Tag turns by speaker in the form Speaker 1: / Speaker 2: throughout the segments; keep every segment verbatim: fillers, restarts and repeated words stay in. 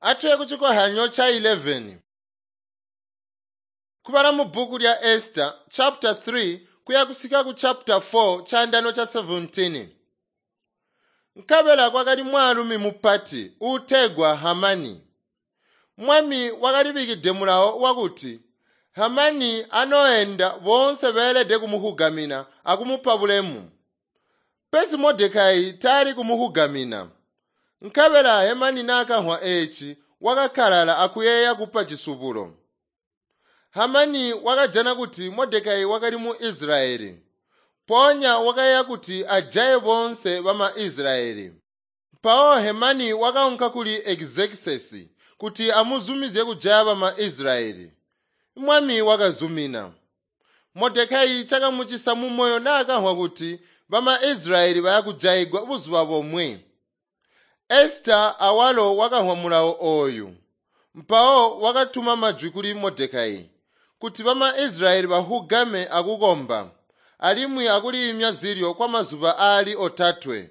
Speaker 1: Atuye kuchikohyanyo cha eleven. Kubala mu bhuku lya Esther chapter three kuya kusika ku chapter four chandano cha seventeen. Nkabela kwakali mwaalumi mupati uutegwa Hamani. Mwami wakalibikide mulawo wakuti Hamani anoenda boonse beelede kumuhugamina akumupa bulemu. Pesi Modekayi taali kumuhugamina. Nkabela Hamani naakamvwa eeci wakakalala akuyeeya kupa cisubulo. Hamani wakajana kuti Modekayi wakali mu Israyeli. Mpoonya wakayeeya kuti ajaye boonse bama Israyeli. Mpawo Hamani wakaunka kuli Xerxes kuti amuzumizye kujaya bama Israyeli. Mwami wakazumina. Modekayi chakamucisa mumoyo naakamvwa kuti bama Israyeli bayakujayigwa buzuba bomwe. Esther awalo wakamvwa mulawo ooyu. Mpawo wakatuma majwi kuli Modekayi kuti bama Israyeli bahugame akukomba alimwi akuliimya zilyo kwamazuba aali otatwe.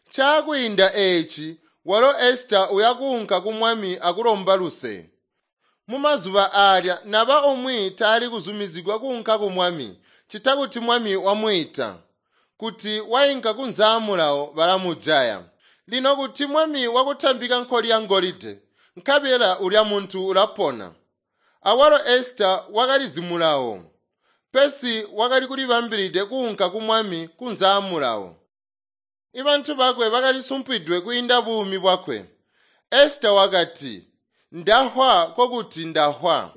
Speaker 1: Chaakwiinda eeci walo Esther uyakuunka ku mwami akulomba luse. Mumazuba aalya naba umwi taali kuzumizigwa kuunka ku mwami ccita kuti mwami wamwiita. Kuti wainka kunze mulawo balamujaya. Lino kuti mwami wakutambika nkoli ya ngolide, nkabela ulya muntu ulapona. Awalo Esther wakalizi mulawo, pesi wakali kulibambilide kuunka ku mwami kunze mulawo. Ibantu bakwe bakalisumpwidwe kwiinda buumi bwakwe. Esther wakati, "Ndahwa kokuti ndahwa."